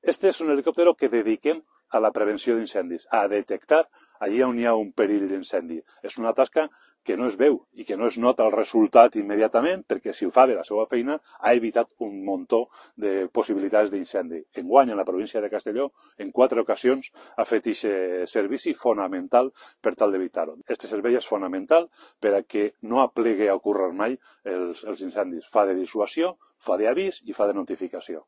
Este és un helicòptero que dediquem a la prevenció d'incendis, a detectar allí on hi ha un perill d'incendi. És una tasca que no es veu i que no es nota el resultat immediatament, perquè si ho fa bé la seva feina ha evitat un muntó de possibilitats d'incendi. Enguany, a la província de Castelló, en 4 ocasions ha fet aquest servici fonamental per tal d'evitar-ho. Este servei és fonamental per a que no aplegui a ocórrer mai els incendis. Fa de dissuasió, fa d'avís i fa de notificació.